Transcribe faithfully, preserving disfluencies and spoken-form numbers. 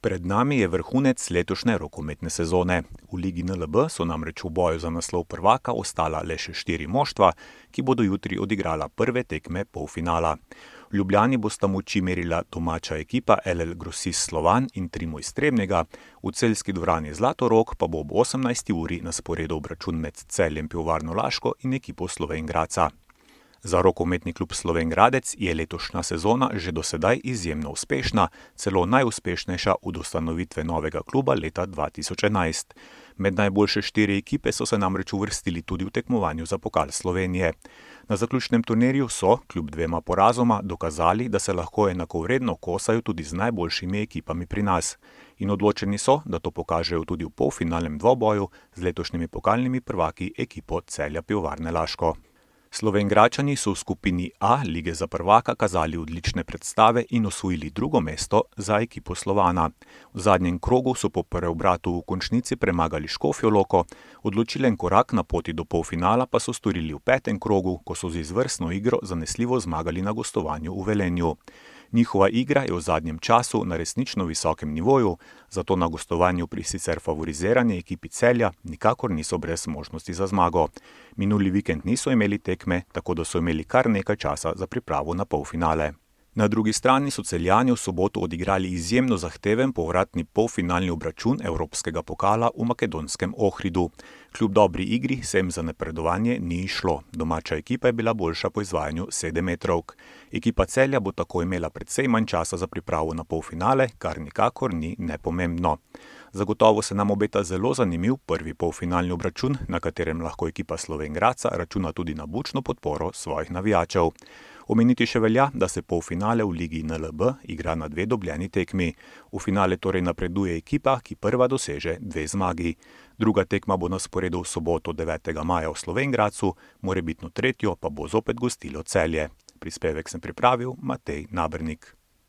Pred nami je vrhunec letošnje rokometne sezone. V Ligi N L B so namreč v boju za naslov prvaka ostala le še štiri moštva, ki bodo jutri odigrala prve tekme polfinala. V Ljubljani bosta moči merila domača ekipa L L Grosist Slovan in Trimo iz Trebnjega, v celjski dvorani Zlatorog pa bo ob osemnajsti uri na sporedu obračun med Celjem Pivovarno Laško in ekipo Slovenj Gradca. Za rokometni klub Slovenj Gradec je letošnja sezona že do sedaj izjemno uspešna, celo najuspešnejša od ustanovitve novega kluba leta dva tisoč enajst. Med najboljše štiri ekipe so se namreč uvrstili tudi v tekmovanju za pokal Slovenije. Na zaključnem turnirju so, kljub dvema porazoma, dokazali, da se lahko enakovredno kosajo tudi z najboljšimi ekipami pri nas. In odločeni so, da to pokažejo tudi v polfinalnem dvoboju z letošnjimi pokalnimi prvaki ekipo Celja Pivovarne Laško. Slovenjgradčani so v skupini A lige za prvaka kazali odlične predstave in osvojili drugo mesto za ekipo Slovana. V zadnjem krogu so po preobratu v končnici premagali Škofjo Loko, odločilen korak na poti do polfinala pa so storili v petem krogu, ko so z izvrstno igro zanesljivo zmagali na gostovanju v Velenju. Njihova igra je v zadnjem času na resnično visokem nivoju, zato na gostovanju pri sicer favorizirani ekipi Celja nikakor niso brez možnosti za zmago. Minuli vikend niso imeli tekme, tako da so imeli kar nekaj časa za pripravo na polfinale. Na drugi strani so Celjani v soboto odigrali izjemno zahteven povratni polfinalni obračun evropskega pokala v makedonskem Ohridu. Kljub dobri igri se jim za napredovanje ni izšlo. Domača ekipa je bila boljša po izvajanju sedemmetrovk. Ekipa Celja bo tako imela precej manj časa za pripravo na polfinale, kar nikakor ni nepomembno. Zagotovo se nam obeta zelo zanimiv prvi polfinalni obračun, na katerem lahko ekipa Slovenj Gradca računa tudi na bučno podporo svojih navijačev. Omeniti še velja, da se polfinale v Ligi N L B igra na dve dobljeni tekmi. V finale torej napreduje ekipa, ki prva doseže dve zmagi. Druga tekma bo na sporedu v soboto devetega maja v Slovenj Gradcu, morebitno tretjo pa bo zopet gostilo Celje. Prispevek sem pripravil Matej Nabernik.